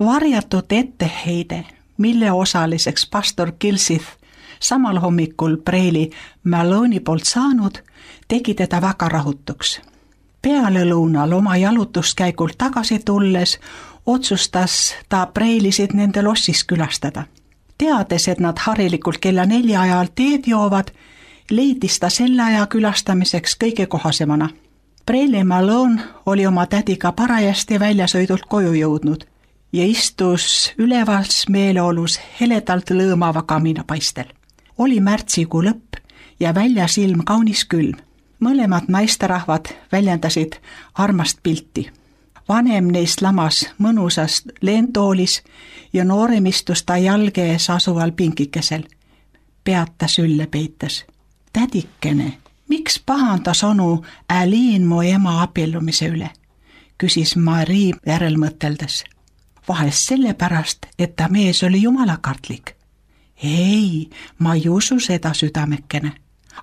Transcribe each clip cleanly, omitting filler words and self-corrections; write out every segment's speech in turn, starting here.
Varjatud etteheide, mille osaliseks pastor Kilsith samal hommikul preili Malone'i poolt saanud, tegi teda väga rahutuks. Peale lõunal oma jalutuskäigult tagasi tulles otsustas ta preilisid nende lossis külastada. Teades, et nad harilikult kella 4 ajal teed joovad, leidis ta selle aja külastamiseks kõige kohasemana. Preili Malone oli oma tädiga parajasti väljasõidult koju jõudnud ja istus ülevas meeleolus heledalt lõõmava kaminapaistel. Oli märtsikuu lõpp ja väljas ilm kaunis külm. Mõlemad naisterahvad väljendasid armast pilti. Vanem neist lamas mõnusas leentoolis ja noorem istus ta jalge ees asuval pinkikesel. Pead ta sülle peites. Tädikene, miks pahandas onu Aliin mu ema abiellumise üle? Küsis Marii järelmõteldes. Vahest sellepärast, et ta mees oli jumalakartlik. Ei, ma ei usu seda südamekene.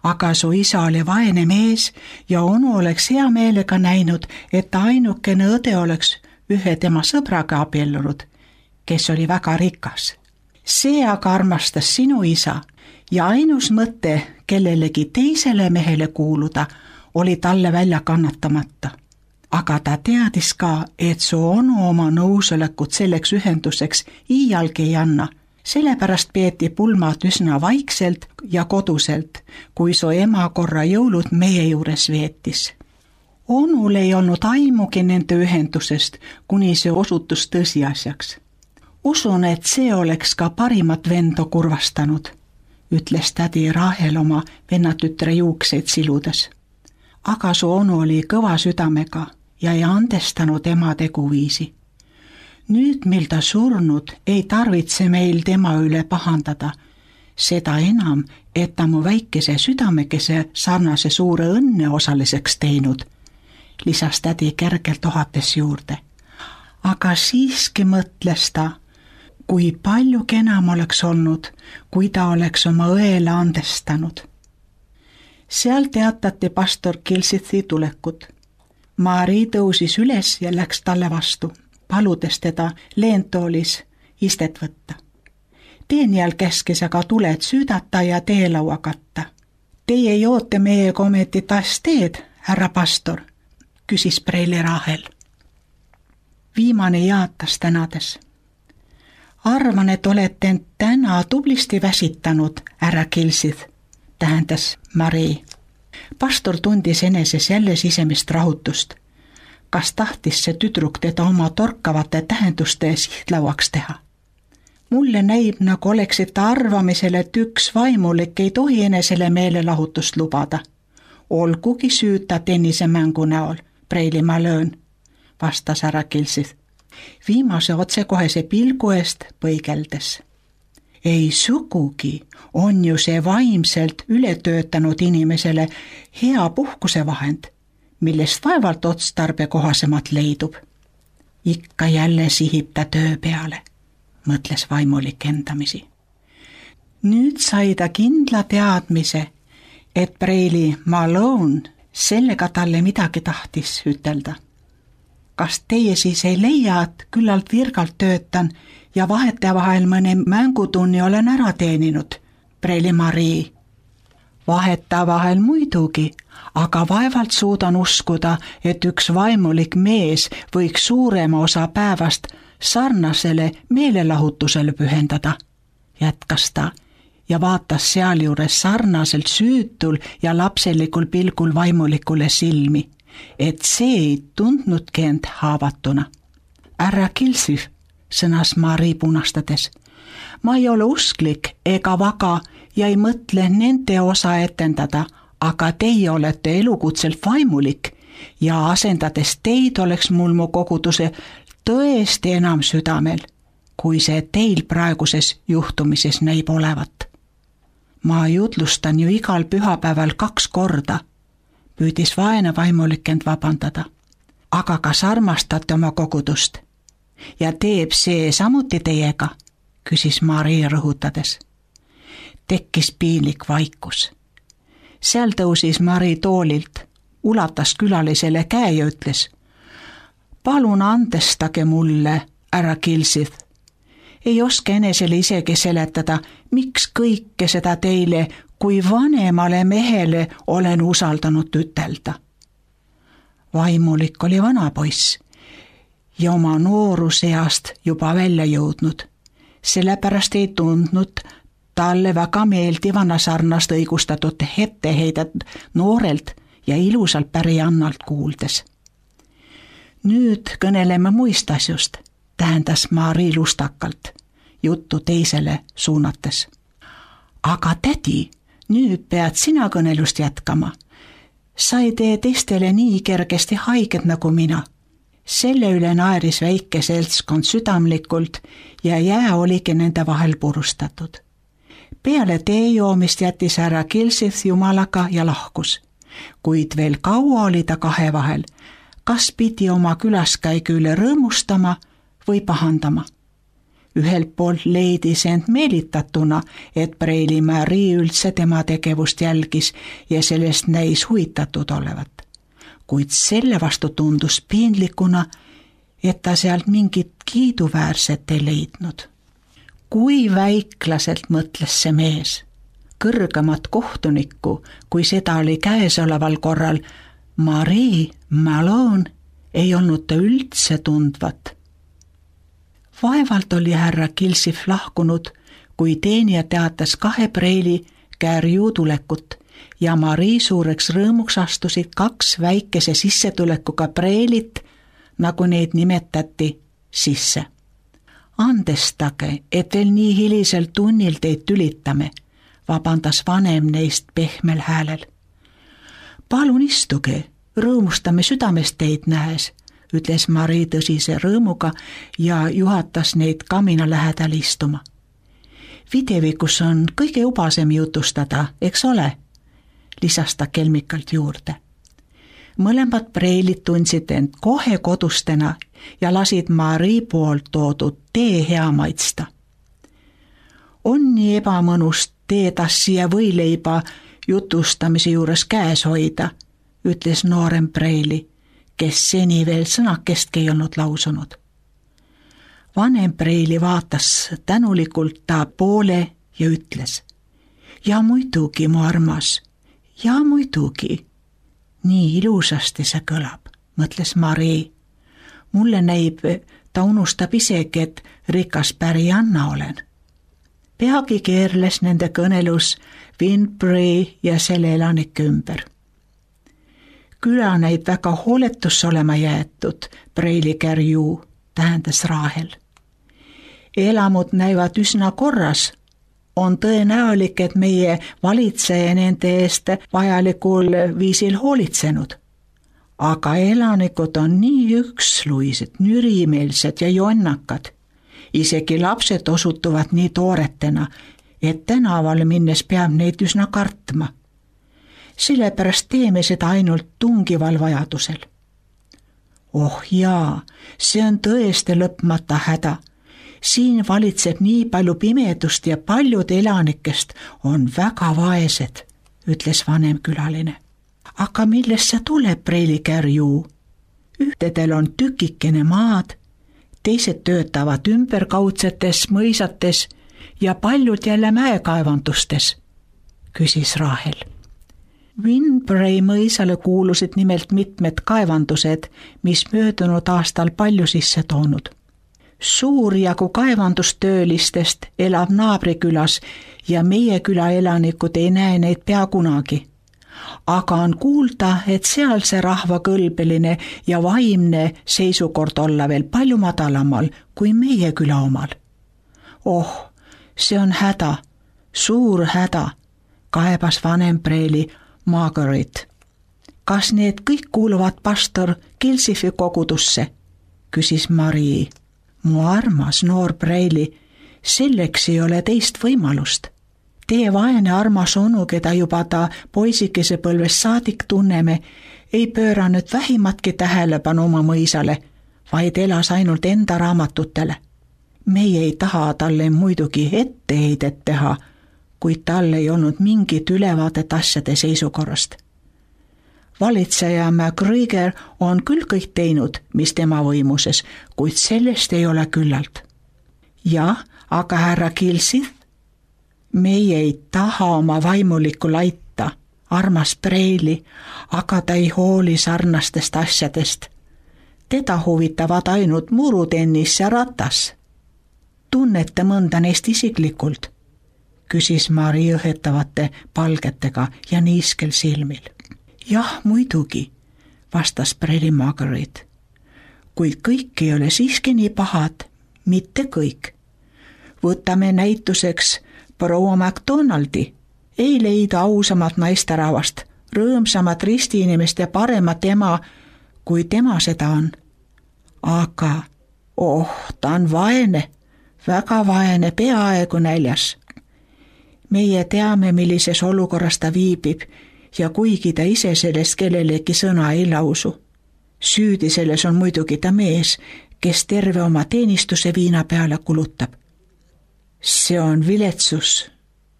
Aga su isa oli vaene mees ja onu oleks hea meelega näinud, et ta ainukene õde oleks ühe tema sõbraga abiellunud, kes oli väga rikas. See aga armastas sinu isa ja ainus mõte kellelegi teisele mehele kuuluda oli talle välja kannatamata. Aga ta teadis ka, et su onu oma nõusolekut selleks ühenduseks iialgi ei anna. Sellepärast peeti pulmad üsna vaikselt ja koduselt, kui su ema korra jõulud meie juures veetis. Onul ei olnud aimugi nende ühendusest, kuni see osutus tõsiasjaks. Usun, et see oleks ka parimat vendo kurvastanud, ütles tädi Rahel oma vennatütre juukseid siludes. Aga su onu oli kõva südamega ja ei andestanud ema teguviisi. Nüüd, mil ta surnud, ei tarvitse meil tema üle pahandada. Seda enam, et ta mu väikese südamekese sarnase suure õnne osaliseks teinud, lisas tädi kergelt ohates juurde. Aga siiski mõtles ta, kui palju kenam oleks olnud, kui ta oleks oma õele andestanud. Seal teatati pastor Kilsithi tulekut. Marii tõusis üles ja läks talle vastu, paludes teda leentoolis istet võtta. Teenijal käskis aga tuled süüdata ja teelaua katta. Teie joote meiega ometi taas teed, härra pastor, küsis preili Rahel. Viimane jaatas tänades. Arvan, et olete end täna tublisti väsitanud, härra Kilsith, tähendas Marii. Pastor tundis eneses jälle sisemist rahutust. Kas tahtis see tüdruk teda oma torkavate tähenduste sihtlauaks teha? Mulle näib, nagu oleksid ta arvamisel, et üks vaimulik ei tohi enesele meelelahutust lubada. Olgugi süüta tennisemängu näol, preili Malone, vastas härra Kilsith, viimase otsekohese pilgu eest põigeldes. Ei sugugi, on ju see vaimselt ületöötanud inimesele hea puhkusevahend, millest vaevalt otstarbekohasemalt leidub. Ikka jälle sihib ta töö peale, mõtles vaimulik endamisi. Nüüd sai ta kindla teadmise, et preili Malone sellega talle midagi tahtis ütelda. Kas teie siis ei leia, et küllalt virgalt töötan ja vahetevahel mõne mängutunni olen ära teeninud, preili Marii? Vahetevahel muidugi, aga vaevalt suudan uskuda, et üks vaimulik mees võiks suurema osa päevast sarnasele meelelahutusele pühendada, jätkas ta ja vaatas sealjuures sarnaselt süütul ja lapselikul pilgul vaimulikule silmi, et see ei tundnudki end haavatuna. Härra Kilsith, sõnas Marii punastades, ma ei ole usklik ega vaga ja ei mõtle nende osa etendada, aga teie olete elukutselt vaimulik ja asendades teid oleks mul mu koguduse tõesti enam südamel, kui see teil praeguses juhtumises näib olevat. Ma jutlustan ju igal pühapäeval 2 korda, püüdis vaene vaimulik end vabandada. Aga kas armastate oma kogudust? Ja teeb see samuti teiega, küsis Marii rõhutades. Tekkis piinlik vaikus. Seal tõusis Marii toolilt, ulatas külalisele käe ja ütles: palun andestage mulle, härra Kilsith. Ei oska enesele isegi seletada, miks kõike seda teile kui vanemale mehele olen usaldanud ütelda. Vaimulik oli vana poiss ja oma nooruseast juba välja jõudnud. Sellepärast ei tundnud talle väga meeldivana sarnast õigustatud etteheidet noorelt ja ilusalt pärijannalt kuuldes. Nüüd kõneleme muist asjust, tähendas Mari lustakalt, juttu teisele suunates. Aga tädi, nüüd pead sina kõnelust jätkama. Sa ei tee teistele nii kergesti haiget nagu mina. Selle üle naeris väike seltskond südamlikult ja jää oligi nende vahel purustatud. Peale tee joomist jättis härra Kilsith jumalaga ja lahkus, kuid veel kaua oli ta kahe vahel, kas pidi oma külaskäigu üle rõõmustama või pahandama. Ühelt poolt leidis end meelitatuna, et Preili Mari üldse tema tegevust jälgis ja sellest näis huvitatud olevat. Kuid selle vastu tundus piinlikuna, et ta sealt mingit kiiduväärset ei leidnud. Kui väiklaselt mõtles see mees. Kõrgemat kohtunikku, kui seda oli käesoleval korral, Mari Malone ei olnud ta üldse tundvat. Vaevalt oli härra Kilsith lahkunud, kui teenija teatas 2 Preili Kärju tulekut ja Mari suureks rõõmuks astusid 2 väikese sissetulekuga Preilit, nagu neid nimetati, sisse. Andestage, et veel nii hilisel tunnil teid tülitame, vabandas vanem neist pehmel häälel. Palun istuge, rõõmustame südamest teid nähes, ütles Mari tõsise rõõmuga ja juhatas neid kamina lähedal istuma. Videvikus on kõige ubasem jutustada, eks ole, lisas ta kelmikalt juurde. Mõlemad Preilid tundsid end kohe kodustena ja lasid Mari poolt toodud tee hea maitsta. On nii ebamõnust teetassi ja võileiba jutustamise juures käes hoida, ütles noorem Preili, kes seni veel sõnakestki ei olnud lausunud. Vanem Preili vaatas tänulikult ta poole ja ütles, ja muidugi, mu armas, ja muidugi. Nii ilusasti see kõlab, mõtles Mari. Mulle näib, ta unustab isegi, et rikas pärijanna olen. Peagi keerles nende kõnelus Winbury ja selle elanike ümber. Küla näib väga hooletusse olema jäetud, Preili Kärju, tähendas Rahel. Elamud näivad üsna korras. On tõenäolik, et meie valitseja nende eest vajalikul viisil hoolitsenud. Aga elanikud on nii üksluised, nürimeelsed ja jonnakad. Isegi lapsed osutuvad nii tooretena, et tänaval minnes peab neid üsna kartma. Sellepärast teeme seda ainult tungival vajadusel. Oh jaa, see on tõesti lõpmata häda. Siin valitseb nii palju pimedust ja paljud elanikest on väga vaesed, ütles vanem külaline. Aga millest see tuleb, Preili Kärju? Ühtedel on tükikene maad, teised töötavad ümberkaudsetes mõisates ja paljud jälle mäekaevandustes, küsis Rahel. Winbury mõisale kuulusid nimelt mitmed kaevandused, mis möödunud aastal palju sisse toonud. Suur jagu kaevandustöölistest elab naabrikülas ja meie küla elanikud ei näe neid pea kunagi. Aga on kuulda, et sealse rahva kõlbeline ja vaimne seisukord olla veel palju madalamal kui meie küla omal. Oh, see on häda, suur häda, kaebas vanem Preili Margaret. Kas need kõik kuuluvad pastor Kilsithi kogudusse, küsis Mari. Mu armas noor Preili, selleks ei ole teist võimalust. Tee vaene armas onu, keda juba ta poisikese põlvest saadik tunneme, ei pööranud vähimatki tähelepanu oma mõisale, vaid elas ainult enda raamatutele. Meie ei taha talle muidugi etteheidet teha, kuid tal ei olnud mingit ülevaadet asjade seisukorrast. Valitseja MacGregor on küll kõik teinud, mis tema võimuses, kuid sellest ei ole küllalt. Jah, aga härra Kilsith, meie ei taha oma vaimulikku laita, armas Preili, aga ta ei hooli sarnastest asjadest. Teda huvitavad ainult murutennis ja ratas. Tunnete mõnda neist isiklikult? Küsis Mari õhetavate palgetega ja niiskel silmil. Jah, muidugi, vastas Preili Margaret. Kuid kõik ei ole siiski nii pahad, mitte kõik. Võtame näituseks proua MacDonaldi. Ei leida ausamat naisterahvast, rõõmsamat ristiinimest ja paremat ema, kui tema seda on. Aga, ta on vaene, väga vaene, peaaegu näljas. Meie teame, millises olukorras ta viibib ja kuigi ta ise sellest kellelegi sõna ei lausu. Süüdi selles on muidugi ta mees, kes terve oma teenistuse viina peale kulutab. See on viletsus,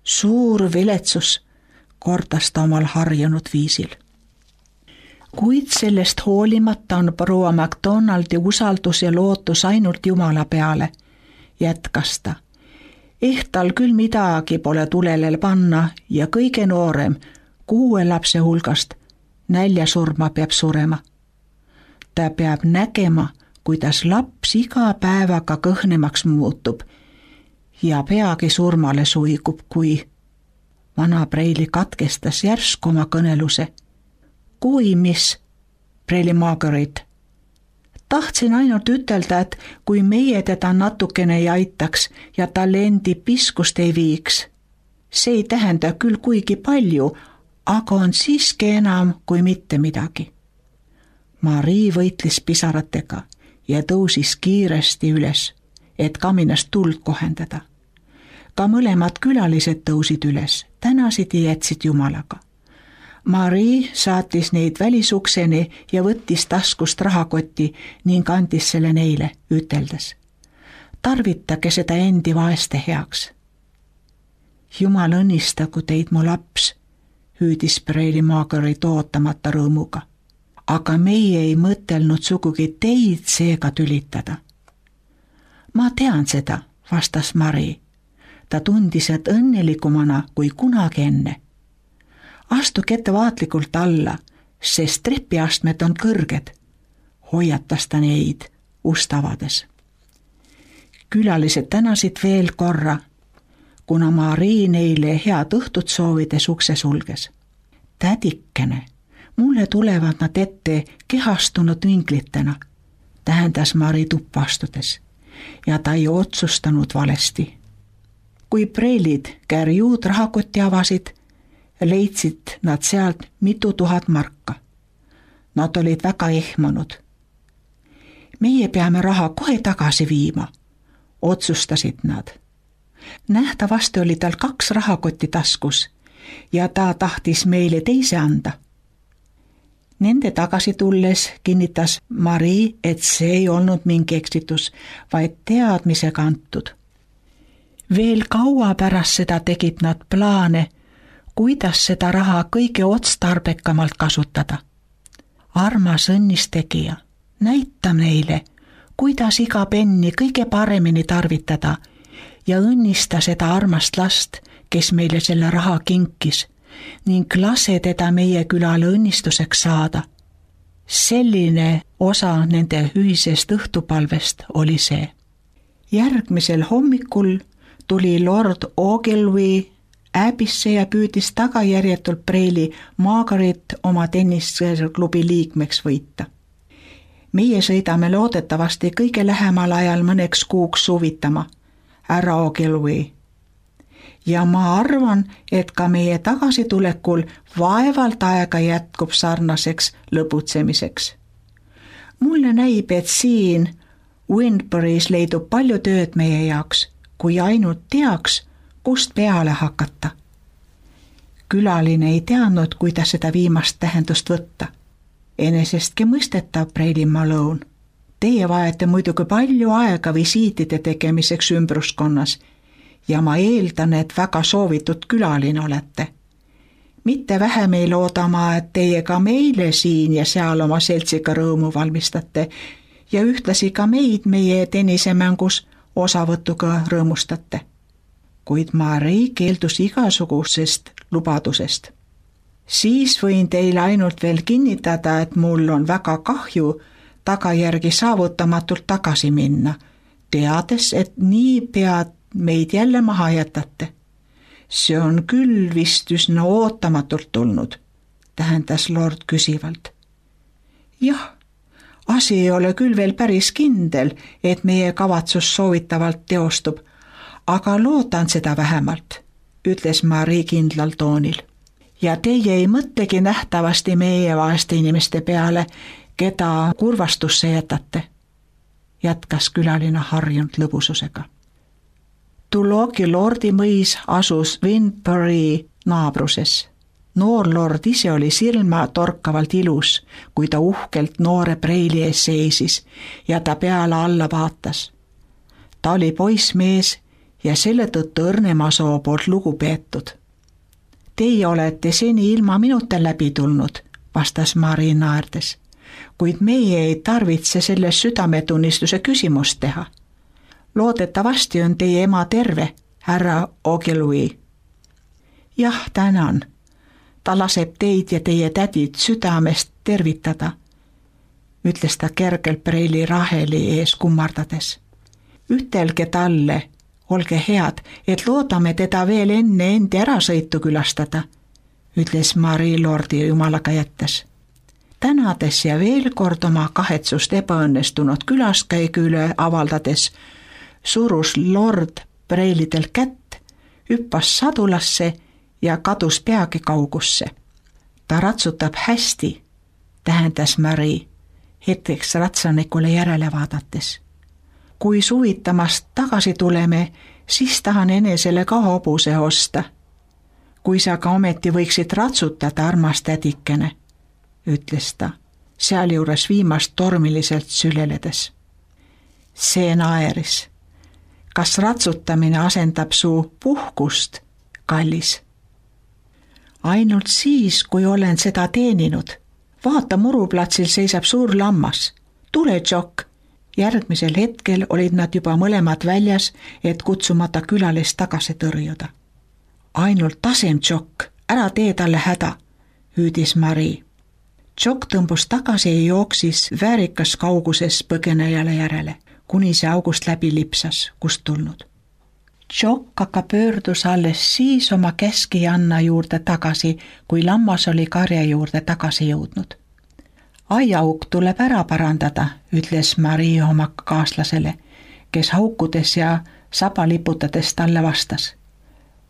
suur viletsus, kordas ta omal harjunud viisil. Kuid sellest hoolimata on proua MacDonaldi usaldus ja lootus ainult Jumala peale, jätkas ta. Tal küll midagi pole tulele panna ja kõige noorem 6 lapse hulgast näljasurma peab surema. Ta peab nägema, kuidas laps iga päevaga kõhnemaks muutub ja peagi surmale suigub, kui vana Preili katkestas järsku oma kõneluse. Kui mis, Preili Margaret? Tahtsin ainult ütelda, et kui meie teda natukene ei aitaks ja talle endi piskust ei viiks, see ei tähenda küll kuigi palju, aga on siiski enam kui mitte midagi. Mari võitles pisaratega ja tõusis kiiresti üles, et kaminast tuld kohendada. Ka mõlemad külalised tõusid üles, tänasid ja jätsid Jumalaga. Mari saatis neid välisukseni ja võttis taskust rahakoti ning andis selle neile, üteldes. Tarvitage seda endi vaeste heaks. Jumal õnnistagu teid, mu laps, hüüdis Preili Margaret ootamata rõõmuga. Aga meie ei mõtelnud sugugi teid seega tülitada. Ma tean seda, vastas Mari. Ta tundis, et õnnelikumana kui kunagi enne. Astuge ettevaatlikult alla, sest trepiastmed on kõrged, hoiatas ta neid ust avades. Külalised tänasid veel korra, kuna Mari neile head õhtut soovides ukse sulges. Tädikene, mulle tulevad nad ette kehastunud vinglitena, tähendas Mari tuppa astudes, ja ta ei otsustanud valesti. Kui Preilid kärjuud rahakotti avasid, leidsid nad sealt mitu tuhat marka. Nad olid väga ehmunud. Meie peame raha kohe tagasi viima, otsustasid nad. Nähtavasti oli tal 2 rahakotti taskus ja ta tahtis meile teise anda. Nende tagasi tulles kinnitas Mari, et see ei olnud mingi eksitus, vaid teadmisega antud. Veel kaua pärast seda tegid nad plaane, kuidas seda raha kõige otstarbekamalt kasutada. Armas õnnistegija, näita neile, kuidas iga penni kõige paremini tarvitada ja õnnista seda armast last, kes meile selle raha kinkis, ning lase teda meie külale õnnistuseks saada. Selline osa nende ühisest õhtupalvest oli see. Järgmisel hommikul tuli Lord Ogilvy Äbisse ja püüdis tagajärjetult Preili Margaret oma tennisklubi liikmeks võita. Meie sõidame loodetavasti kõige lähemal ajal mõneks kuuks suvitama, härra Ogilvy. Ja ma arvan, et ka meie tagasitulekul vaevalt aega jätkub sarnaseks lõbutsemiseks. Mulle näib, et siin Windbury's leidub palju tööd meie jaoks, kui ainult teaks, kust peale hakata. Külaline ei teadnud, kuidas seda viimast tähendust võtta. Enesestki mõistetav, Preili Malone. Teie vajate muidugi palju aega visiitide tegemiseks ümbruskonnas ja ma eeldan, et väga soovitud külaline olete. Mitte vähem ei loodama, et teie ka meile siin ja seal oma seltsiga rõõmu valmistate ja ühtlasi ka meid meie tennisemängus osavõtuga rõõmustate. Kuid Marii keeldus igasugusest lubadusest. Siis võin teile ainult veel kinnitada, et mul on väga kahju tagajärgi saavutamatult tagasi minna, teades, et niipea meid jälle maha jätate. See on küll vist üsna ootamatult tulnud, tähendas lord küsivalt. Jah, asi ei ole küll veel päris kindel, et meie kavatsus soovitavalt teostub, aga loodan seda vähemalt, ütles Marii kindlal toonil. Ja teie ei mõtlegi nähtavasti meie vaeste inimeste peale, keda kurvastusse jätate, jätkas külaline harjunud lõbususega. Tulloki lordi mõis asus Windbury naabruses. Noor lord ise oli silma torkavalt ilus, kui ta uhkelt noore preili ees seisis ja ta peale alla vaatas. Ta oli poissmees ja selle tõttu õrnema soo poolt lugupeetud. Teie olete seni ilma minuta läbi tulnud, vastas Marii naerdes, kuid meie ei tarvitse selle südametunnistuse küsimust teha. Loodetavasti on teie ema terve, härra Ogilvy. Jah, tänan. Ta laseb teid ja teie tädid südamest tervitada, ütles ta kergelt preili Raheli ees kummardades. Ütelge talle, olge head, et loodame teda veel enne endi ärasõitu külastada, ütles Marii lordi jumalaga jättes. Tänades ja veel kord oma kahetsust ebaõnnestunud külaskäigu üle avaldades, surus lord preilidel kätt, hüppas sadulasse ja kadus peagi kaugusse. Ta ratsutab hästi, tähendas Marii, hetkeks ratsanikule järele vaadates. Kui suvitamast tagasi tuleme, siis tahan enesele ka hobuse osta. Kui sa ka ometi võiksid ratsutada, armas tädikene, ütles ta, sealjuures viimast tormiliselt süleledes. See naeris. Kas ratsutamine asendab su puhkust, kallis? Ainult siis, kui olen seda teeninud. Vaata, muruplatsil seisab suur lammas. Tule, Jock. Järgmisel hetkel olid nad juba mõlemad väljas, et kutsumata külalist tagasi tõrjuda. Ainult tasem, Jock, ära tee talle häda, hüüdis Marii. Jock tõmbus tagasi ja jooksis väärikas kauguses põgenejale järele, kuni see august läbi lipsas, kust tulnud. Jock aga pöördus alles siis oma keskijanna juurde tagasi, kui lammas oli karja juurde tagasi jõudnud. Aiaauk tuleb ära parandada, ütles Marii oma kaaslasele, kes haukudes ja saba liputades talle vastas.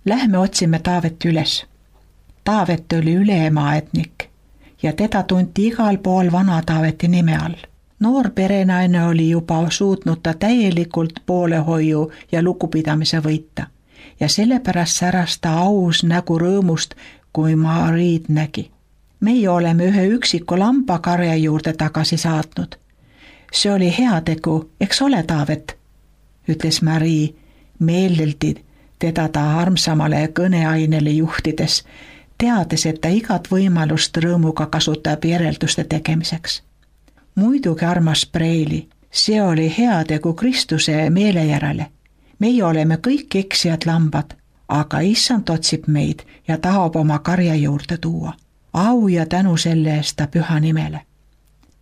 Lähme otsime Taavet üles. Taavet oli üleemaaetnik ja teda tunti igal pool vana Taaveti nime all. Noor perenaine oli juba suutnud ta täielikult poolehoiu ja lugupidamise võita ja sellepärast säras ta aus nägu rõõmust, kui Mariid nägi. Meie oleme ühe üksiku lambakarja juurde tagasi saatnud. See oli heategu, eks ole, Taavet, ütles Marii meeleldi teda ta armsamale kõneainele juhtides, teades, et ta igat võimalust rõõmuga kasutab järelduste tegemiseks. Muidugi, armas preili, see oli heategu Kristuse meele järele. Meie oleme kõik eksijad lambad, aga issand otsib meid ja tahab oma karja juurde tuua. Au ja tänu selle eest ta püha nimele.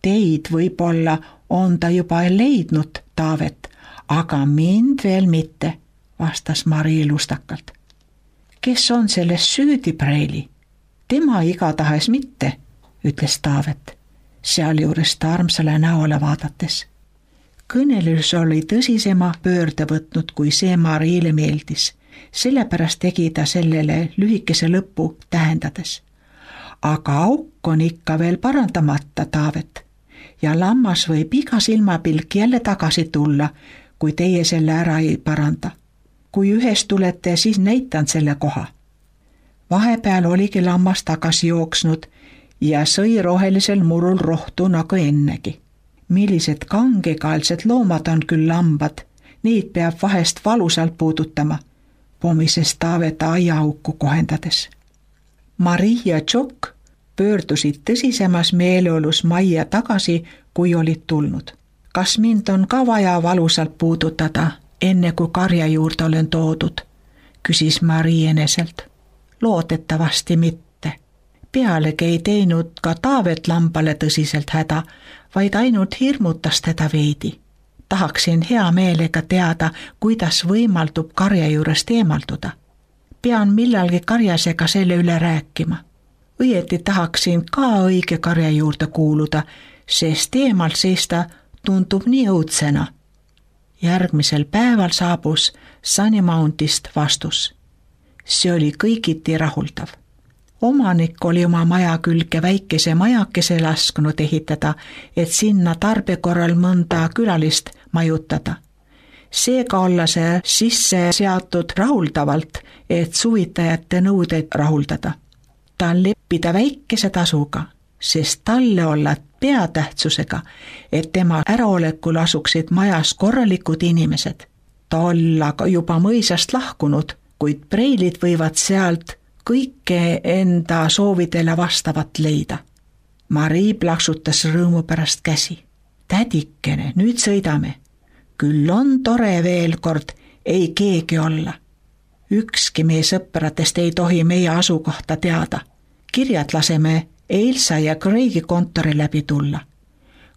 Teid võib-olla on ta juba leidnud, Taavet, aga mind veel mitte, vastas Marii lustakalt. Kes on selles süüdi, preili? Tema igatahes mitte, ütles Taavet, sealjuures ta armsale näole vaadates. Kõnelus oli tõsisema pöörde võtnud, kui see Mariile meeldis. Sellepärast tegi ta sellele lühikese lõpu tähendades. Aga auk on ikka veel parandamata, Taavet, ja lammas võib iga silmapilk jälle tagasi tulla, kui teie selle ära ei paranda. Kui ühest tulete, siis näitan selle koha. Vahepeal oligi lammas tagasi jooksnud ja sõi rohelisel murul rohtu nagu ennegi. Millised kangekaelsed loomad on küll lambad, neid peab vahest valusalt puudutama, pomises Taavet aiaauku kohendades. Marie ja Jock pöördusid tõsisemas meeleolus majja tagasi, kui olid tulnud. Kas mind on ka vaja valusalt puudutada, enne kui karja juurde olen toodud, küsis Marie eneselt. Loodetavasti mitte. Pealegi ei teinud ka Taavet lambale tõsiselt häda, vaid ainult hirmutas teda veidi. Tahaksin hea meelega teada, kuidas võimaldub karja juurest eemalduda. Pean millalgi karjasega selle üle rääkima. Õieti tahaksin ka õige karja juurde kuuluda, sest eemalt seista tundub nii õudsena. Järgmisel päeval saabus Sunnymountist vastus. See oli kõigiti rahuldav. Omanik oli oma maja külge väikese majakese lasknud ehitada, et sinna tarbe korral mõnda külalist majutada. Seega olla see sisse seatud rahuldavalt, et suvitajate nõudeid rahuldada. Tal leppida väikese tasuga, sest talle olla peatähtsusega, et tema äraolekul asuksid majas korralikud inimesed. Ta olla juba mõisast lahkunud, kuid preilid võivad sealt kõike enda soovidele vastavat leida. Marie plaksutas rõõmu pärast käsi. Tädikene, nüüd sõidame. Küll on tore veel kord ei keegi olla. Ükski meie sõpradest ei tohi meie asukohta teada. Kirjad laseme Elsa ja Craigi kontori läbi tulla.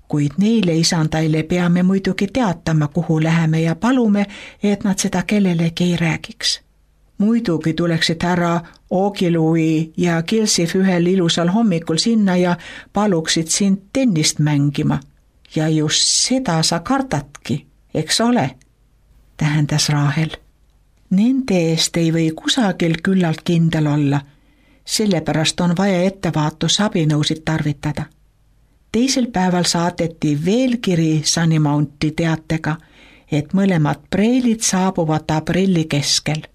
Kuid neile isandaile peame muidugi teatama, kuhu läheme ja palume, et nad seda kellelegi ei räägiks. Muidugi tuleksid härra Ogilvy ja Kilsif ühel ilusal hommikul sinna ja paluksid sind tennist mängima. Ja just seda sa kardadki, eks ole, tähendas Rahel. Nende eest ei või kusagil küllalt kindel olla, sellepärast on vaja ettevaatusabinõusid tarvitada. Teisel päeval saadeti veel kiri Sunnymounti teatega, et mõlemad preilid saabuvad aprilli keskel.